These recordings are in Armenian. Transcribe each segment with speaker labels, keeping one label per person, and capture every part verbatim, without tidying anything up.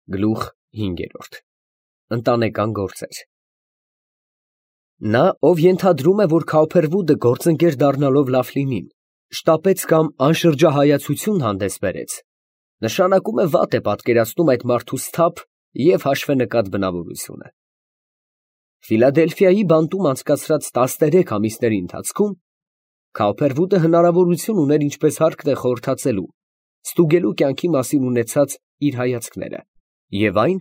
Speaker 1: Գլուխ հինգերորդ Ընտանեկան գործեր Նա, ով ենթադրում է, որ Քաուփերվուդը գործընկեր դառնալով Լաֆլինին շտապեց կամ անշրջահայացություն հանդես բերեց, նշանակում է վատ է պատկերացնում այդ մարդու սթափ և հաշվենկատ բնավորությունը։ Ֆիլադելֆիայի բանտում անցկացրած տասներեք ամիսների ընթացքում Քաուփերվուդը հնարավորություն ուներ ինչպես հարկն է խորհրդածելու, ստուգելու կյանքի մասին ունեցած իր հայացքները և այն,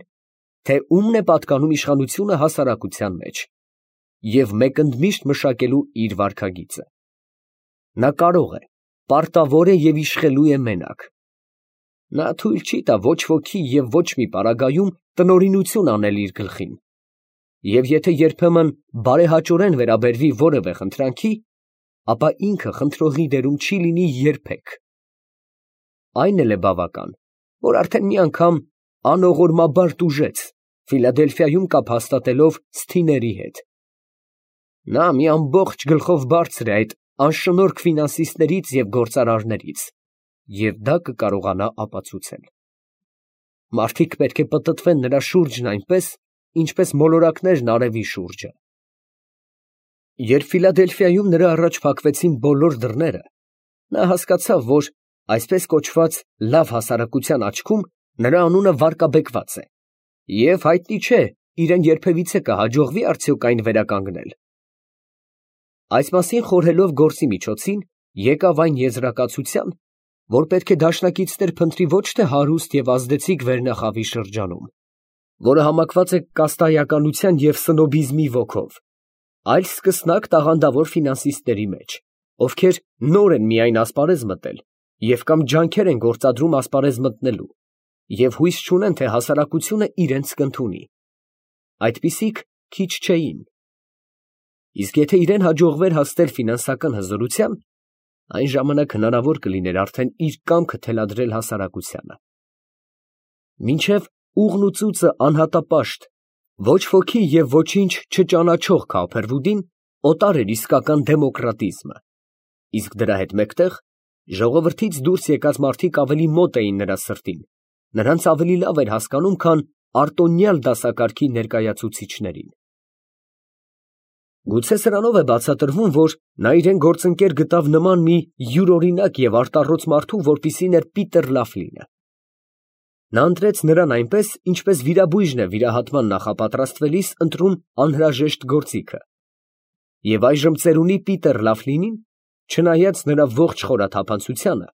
Speaker 1: թե ումն է պատկանում իշխանությունը հասարակության մեջ, և մեկընդմիշտ մշակելու իր վարքագիծը։ Նա կարող է, պարտավոր է և իշխելու է մենակ։ Նա թույլ չի տա ոչ ոքի և ոչ մի պարագայում տնօրինություն անել իր գլխին, և եթե երբեմն բարեհաճորեն վերաբերվի որևէ խնդրանքի, ապա ինքը խնդրողի դերում չի լինի երբեք։ Այն էլ է բավական, որ արդեն մի անգամ անողորմաբար տուժեց, Ֆիլադելֆիայում կապ հաստատելով Սթիների հետ։ Նա մի ամբողջ գլխով բարձր է այդ անշնորհք ֆինանսիստներից և գործարարներից, և դա կկարողանա ապացուցել։ Մարդիկ պետք է պտտվեն նրա շուրջն այնպես, ինչպես մոլորակներն արևի շուրջը։ Երբ Ֆիլադելֆիայում նրա առաջ փակվեցին բոլոր դռները, նա հասկացավ, որ այսպես կոչված լավ հասարակության աչքում նրա անունը վարկաբեկված է, և հայտնի չէ իրան երբևիցե կհաջողվի արդյոք այն վերականգնել։ Այս մասին խորհելով գործի միջոցին, եկավ այն եզրակացության, որ պետք է դաշնակիցներ փնտրի ոչ թե հարուստ և ազդեցիկ վերնախավի շրջանում, որը համակված է կաստայականության և սնոբիզմի ոգով, այլ սկսնակ տաղանդավոր ֆինանսիստների մեջ, ովքեր նոր են միայն ասպարեզ մտել և կամ ջանքեր են գործադրում ասպարեզ մտնելու և հույս չունեն, թե հասարակությունը իրենց կընդունի։ Այդպիսիք քիչ չէին։ Իսկ եթե իրան հաջողվեր հասնել ֆինանսական հզորության, այն ժամանակ հնարավոր կլիներ արդեն իր կամքը թելադրել հասարակությանը։ Մինչև ուղն ու ծուծը անհատապաշտ, ոչ ոքի և ոչինչ չճանաչող Քաուփերվուդին օտար էր իսկական դեմոկրատիզմը, իսկ դրա հետ մեկտեղ ժողովրդից դուրս եկած մարդիկ ավելի մոտ էին նրա սրտին, նրանց ավելի լավ էր հասկանում, քան արտոնյալ դասակարգի ներկայացուցիչներին։ Գուցե սրանով է բացատրվում, որ նա իրան գործընկեր գտավ նման մի յուրօրինակ և արտառոց մարդու, որպիսին էր Պիտեր Լաֆլինը։ Նա ընտրեց նրան այնպես, ինչպես վիրաբույժն է վիրահատման նախապատրաստվելիս ընտրում անհրաժեշտ գործիքը։ Եվ այժմ ծերունի Պիտեր Լաֆլինին, չնայած նրա ողջ խորաթափանցությանը,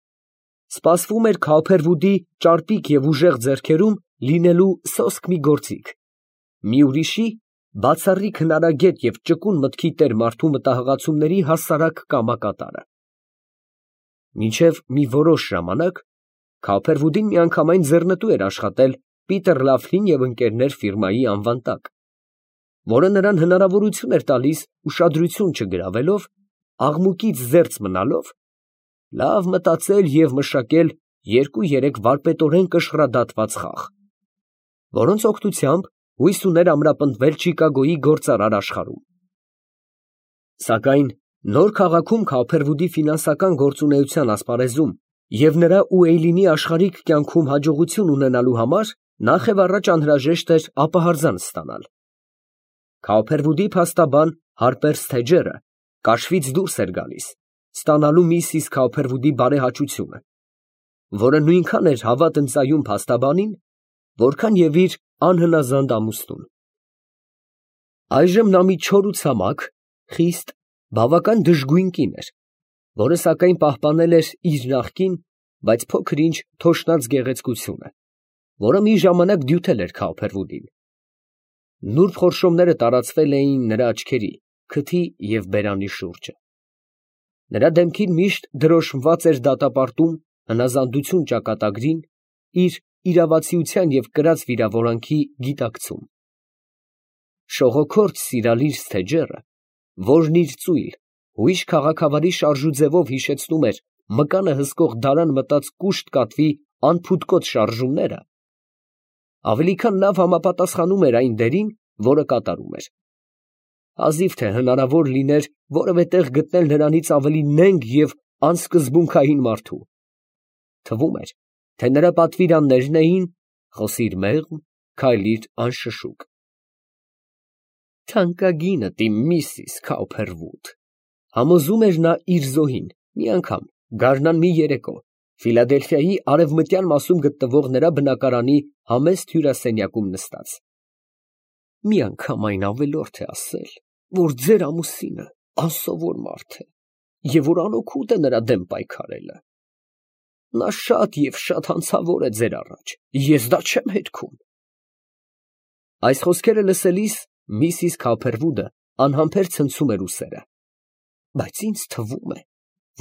Speaker 1: սպասվում էր Քաուփերվուդի ճարպիկ և ուժեղ ձեռքերում լինելու սոսկ մի գործիք, մի ուրիշի, բացառիկ հնարագետ և ճկուն մտքի տեր մարդու մտահղացումների հասարակ կամակատարը։ Մինչև մի որոշ ժամանակ Քաուփերվուդին միանգամայն ձեռնտու էր աշխատել Պիտեր Լաֆլին և ընկերներ ֆիրմայի անվան տակ, որը նրան հնարավորություն էր տալիս ուշադրություն չգրավելով, աղմուկից զերծ մնալով, լավ մտածել և մշակել երկու֊երեք վարպետորեն կշռադատված խաղ, որոնց օգնությամբ հույս ուներ ամրապնդվել Չիկագոյի գործարար աշխարհում։ Սակայն նոր քաղաքում Քաուփերվուդի ֆինանսական գործունեության ասպարեզում և նրա ու Էյլինի աշխարհիկ կյանքում հաջողություն ունենալու համար նախևառաջ անհրաժեշտ էր ապահարզան ստանալ։ Քաուփերվուդի փաստաբան Հարպեր Սթեջերը կաշվից դուրս էր գալիս, ստանալու միսիս Քաուփերվուդի բարեհաճությունը, որը նույնքան էր հավատ ընծայում փաստաբանին, որքան և իր անհնազանդ ամուսնուն։ Այժմ նա մի չոր ու ցամաք, խիստ, բավական դժգույն կին էր, որը սակայն պահպանել էր իր նախկին, բայց փոքր֊ինչ թոշնած գեղեցկությունը, որը մի ժամանակ դյութել էր Քաուփերվուդին։ Նուրբ խորշոմները տարածվել էին նրա աչքերի, քթի և բերանի շուրջը։ Նրա դեմքին միշտ դրոշմված էր դատապարտում, հնազանդություն ճակատագրին, իր իրավացիության և կրած վիրավորանքի գիտակցում։ Շողոքորթ սիրալիր Սթեջերը, որն իր ծույլ, հույժ քաղաքավարի շարժուձևով հիշեցնում էր մկանը հսկող դարան մտած կուշտ կատվի անփութկոտ շարժումները, ավելի քան լավ համապատասխանում էր այն դերին, որը կատարում էր։ Հազիվ թե հնարավոր լիներ որևէ տեղ գտնել նրանից ավելի նենգ և անսկզբունքային մարդու։ Թվում էր, թե նրա պատվիրաններն էին խոսիր մեղմ, քայլիր անշշուկ։ Թանկագինդ իմ միսիս Քաուփերվուդ, համոզում էր նա իր զոհին, մի անգամ, գարնան մի երեկո, Ֆիլադելֆիայի արևմտյան մասում գտնվող նրա բնակարանի համեստ հյուրասենյակում նստած։ Մի անգամ այն ավելորդ է ասել, որ ձեր ամուսինը անսովոր մարդ է, և որ անօգուտ է նրա դեմ պայքարելը։ Նա շատ և շատ հանցավոր է ձեր առաջ, ես դա չեմ հերքում։ Այս խոսքերը լսելիս Միսիս Քաուփերվուդը անհամբեր ցնցում էր ուսերը։ Բայց ինձ թվում է,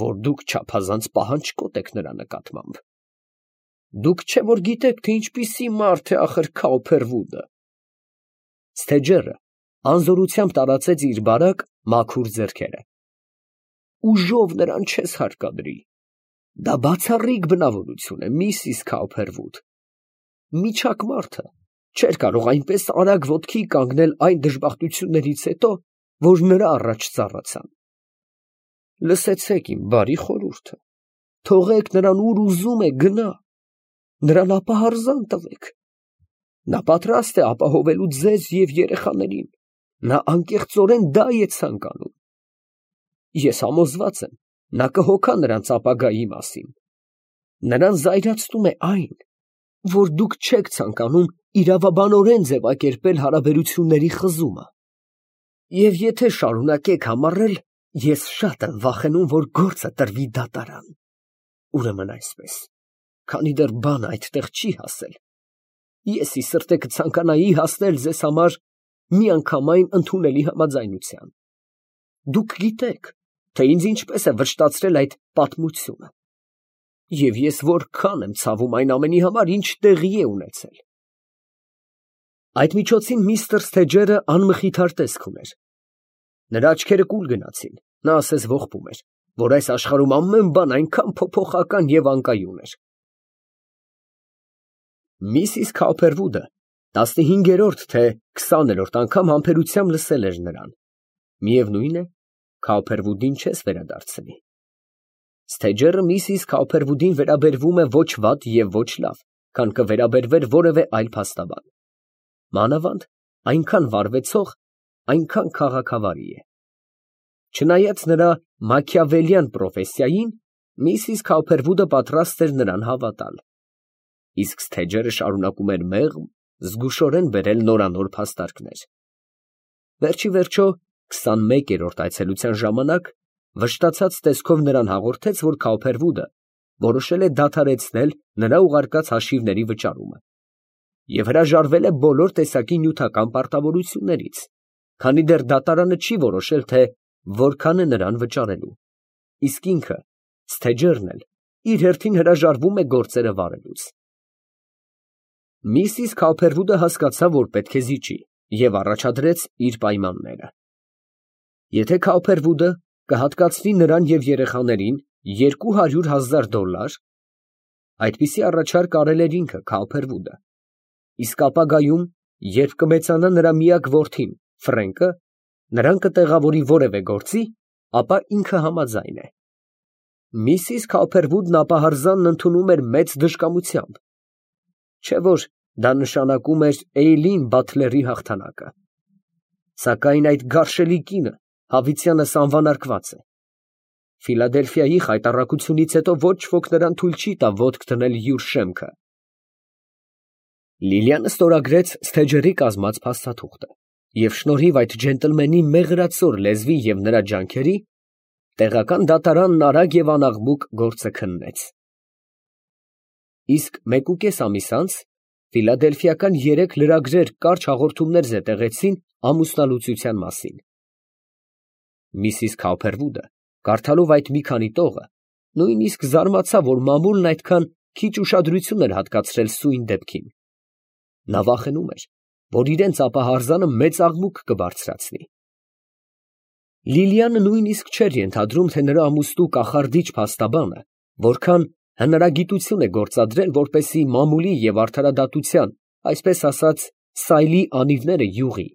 Speaker 1: որ դուք չափազանց պահանջկոտ եք նրա նկատմամբ։ Դուք չէ որ գիտեք, թե ինչպիսի մարդ է ախր Քաուփերվուդը։ Ստեջերը անզորությամբ տարածեց իր բարակ, մաքուր ձեռքերը։ Ուժով նրան չես հարկադրի։ Դա բացառիկ բնավորություն է, Միսիս Քաուփերվուդ։ Միջակ մարդը չէր կարող այնպես արագ ոտքի կանգնել այն դժբախտություններից հետո, որ նրա առաջ ծառացան։ Լսեցեք իմ բարի խորհուրդը, թողեք նրան ուր ուզում է գնա, նրան ապահարզան տվեք։ Նա պատրաստ է ապահովելու ձեզ և երեխաներին, նա անկեղծորեն դա է ցանկանում։ Ես համոզված եմ, նա կհոգա նրանց ապագայի մասին։ Նրան զայրացնում է այն, որ դուք չեք ցանկանում իրավաբանորեն ձևակերպել հարաբերությունների խզումը։ Եվ եթե շարունակեք համառել, ես շատ եմ վախենում, որ գործը տրվի դատարան։ Ուրեմն այսպես, քանի դեռ բանը այդտեղ չի հասել, ես ի սրտե կցանկանայի հասնել ձեզ համար միանգամայն ընդունելի համաձայնության։ Դուք գիտեք, թե ինձ ինչպես է վշտացրել այդ պատմությունը, և ես որքան եմ ցավում այն ամենի համար, ինչ տեղի է ունեցել։ Այդ միջոցին միստր Սթեջերը անմխիթար տեսք ուներ։ Նրա աչքերը կուլ գնացին, նա ասես ողբում էր, որ այս աշխարհում ամեն բան այնքան փոփոխական և անկայուն էր։ Միսիս Քաուփերվուդը տասնհինգերորդ թե քսաներորդ անգամ համբերությամբ լսել էր նրան։ Միևնույն է, Քաուփերվուդին չես վերադարձնի։ Սթեջերը միսիս Քաուփերվուդին վերաբերվում է ոչ վատ և ոչ լավ, քան կվերաբերվեր որևէ այլ փաստաբան։ Մանավանդ այնքան վարվեցող, այնքան քաղաքավարի է։ Չնայած նրա մաքիավելյան պրոֆեսիային, միսիս Քաուփերվուդը պատրաստ էր նրան հավատալ։ Իսկ Սթեջերը շարունակում էր մեղմ, զգուշորեն բերել նորանոր փաստարկներ։ Վերջիվերջո, քսանմեկերորդ այցելության ժամանակ վշտացած տեսքով նրան հաղորդեց, որ Քաուփերվուդը որոշել է դադարեցնել նրա ուղարկած հաշիվների վճարումը և հրաժարվել է բոլոր տեսակի նյութական պարտավորություններից, քանի դեռ դատարանը չի որոշել, թե որքան է նրան վճարելու, իսկ ինքը, Սթեջերն էլ, իր հերթին հրաժարվում է գործերը վարելուց։ Միսիս Քաուփերվուդը հասկացավ, որ պետք է զիջի, և առաջադրեց իր պայմանները։ Եթե Քաուփերվուդը կհատկացնի նրան և երեխաներին երկու հարյուր հազար դոլար, այդպիսի առաջարկ արել էր ինքը Քաուփերվուդը, իսկ ապագայում, երբ կմեծանա նրա միակ որդին Ֆրենկը, նրան կտեղավորի որևէ գործի, ապա ինքը համաձայն է։ Միսիս Քաուփերվուդն ապահարզանն ընդունում էր մեծ դժկամությամբ, չէ՞ որ դա նշանակում էր Էյլին Բաթլերի հաղթանակը։ Սակայն այդ գարշելի կինը հավիտյանս անվանարկված է։ Ֆիլադելֆիայի խայտառակությունից հետո ոչ ոք նրան թույլ չի տա ոտք դնել յուր շեմքը։ Լիլիանը ստորագրեց Սթեջերի կազմած փաստաթուղթը և շնորհիվ այդ ջենտլմենի մեղրացոր լեզվի և նրա ջանքերի, տեղական դատարանն արագ և անաղմուկ գործը քննեց։ Իսկ մեկուկես ամիս անց ֆիլադելֆիական երեք լրագրեր կարճ հաղորդումներ զետեղեցին ամուսնալուծության մասին։ Միսիս Քաուփերվուդը, կարդալով այդ մի քանի տողը, նույնիսկ զարմացավ, որ մամուլն այդքան քիչ ուշադրություն էր հատկացրել սույն դեպքին։ Նա վախենում էր, որ իրենց ապահարզանը մեծ աղմուկ կբարձրացնի։ Լիլիանը նույնիսկ չէր ենթադրում, թե նրա ամուսնու կախարդիչ փաստաբանը որքան հնարագիտություն է գործադրել, որպեսզի մամուլի և արդարադատության, այսպես ասած, սայլի անիվները յուղի։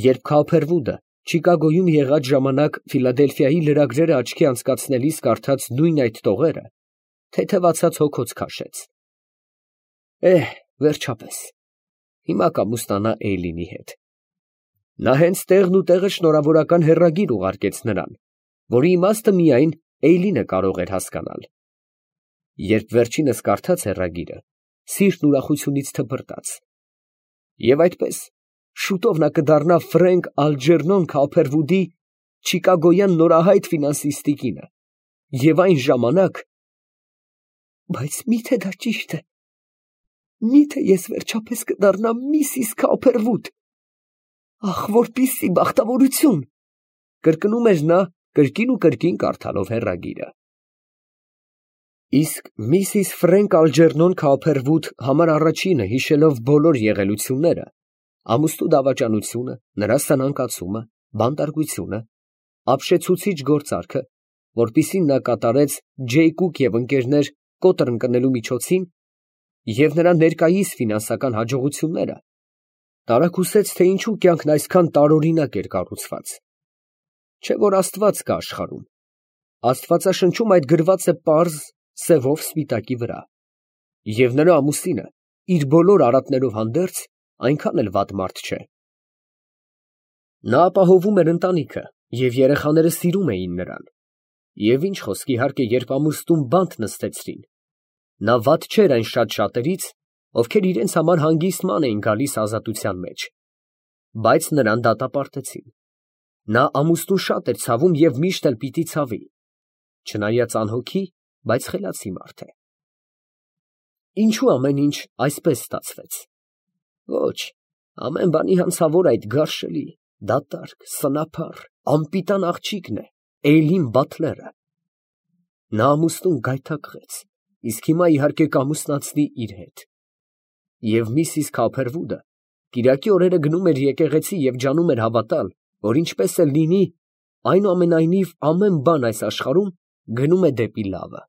Speaker 1: Երբ Քաուփերվուդը Չիկագոյում եղած ժամանակ Ֆիլադելֆիայի լրագրերը աչքի անցկացնելիս կարդաց նույն այդ տողերը, թեթևացած հոգոց քաշեց։ Էհ, Վերջապես, հիմա կամուստանա Էյլինի հետ։ Նա հենց տեղն ու տեղը շնորհավորական հեռագիր ուղարկեց նրան, որի իմաստը միայն Էյլինը կարող էր հասկանալ։ Երբ վերջինս կարդաց հեռագիրը, սիրտն ուրախությունից թպրտաց։ Եվ այդպես, շուտով նա կդառնա Ֆրենկ Ալջերնոն Քոուփերվուդի չիկագոյան նորահայտ ֆինանսիստի կինը, և այն ժամանակ… Բայց մի՞թե դա ճիշտ է, մի՞թե ես վերջապես կդառնամ Միսիս Քոուփերվուդ… Ախ, որպիսի բախտավորություն… կրկնում էր նա, կրկին ու կրկին կարդալով հեռագիրը։ Իսկ Միսիս Ֆրենկ Ալջերնոն Քոուփերվուդ համար առաջինը, հիշելով բոլոր եղելությունները, ամուսնու դավաճանությունը, նրա սնանկացումը, բանտարկությունը, ապշեցուցիչ գործարքը, որպիսին նա կատարեց Ջեյկուկ և ընկերներ կոտր ընկնելու միջոցին, և նրա ներկայիս ֆինանսական հաջողությունները, տարակուսեց, թե ինչու կյանքն այսքան տարօրինակ էր կառուցված։ Չէ՞ որ Աստված կա աշխարհում, աստվածաշնչում այդ գրված է պարզ սևով սպիտակի վրա, և նրա ամուսինը իր բոլոր արատներով հանդերձ այնքան էլ վատ մարդ չէ։ Նա ապահովում էր ընտանիքը, և երեխաները սիրում էին նրան, և ինչ խոսք, իհարկե, երբ ամուսնուն բանտ նստեցրին, նա վատ չէր այն շատ շատերից, ովքեր իրենց համար հանգիստման էին գալիս ազատության մեջ, բայց նրան դատապարտեցին։ Նա ամուսնուն շատ էր ցավում և միշտ էլ պիտի ցավի, չնայած անհոգի, բայց խելացի մարդ է։ Ինչո՞ւ ամեն ինչ այսպես ստացվեց։ Ոչ, ամեն բանի հանցավոր այդ գարշելի, դատարկ, սնափառ, անպիտան աղջիկն է, Էյլին Բաթլերը։ Նա ամուսնուն գայթակղեց, իսկ հիմա իհարկե կամուսնացնի իր հետ։ Եվ Միսիս Քոուփերվուդը կիրակի օրերը գնում էր եկեղեցի և ջանում էր հավատալ, որ ինչպես էլ լինի, այնուամենայնիվ ամեն բան այս աշխարհում գնում է դեպի լավը։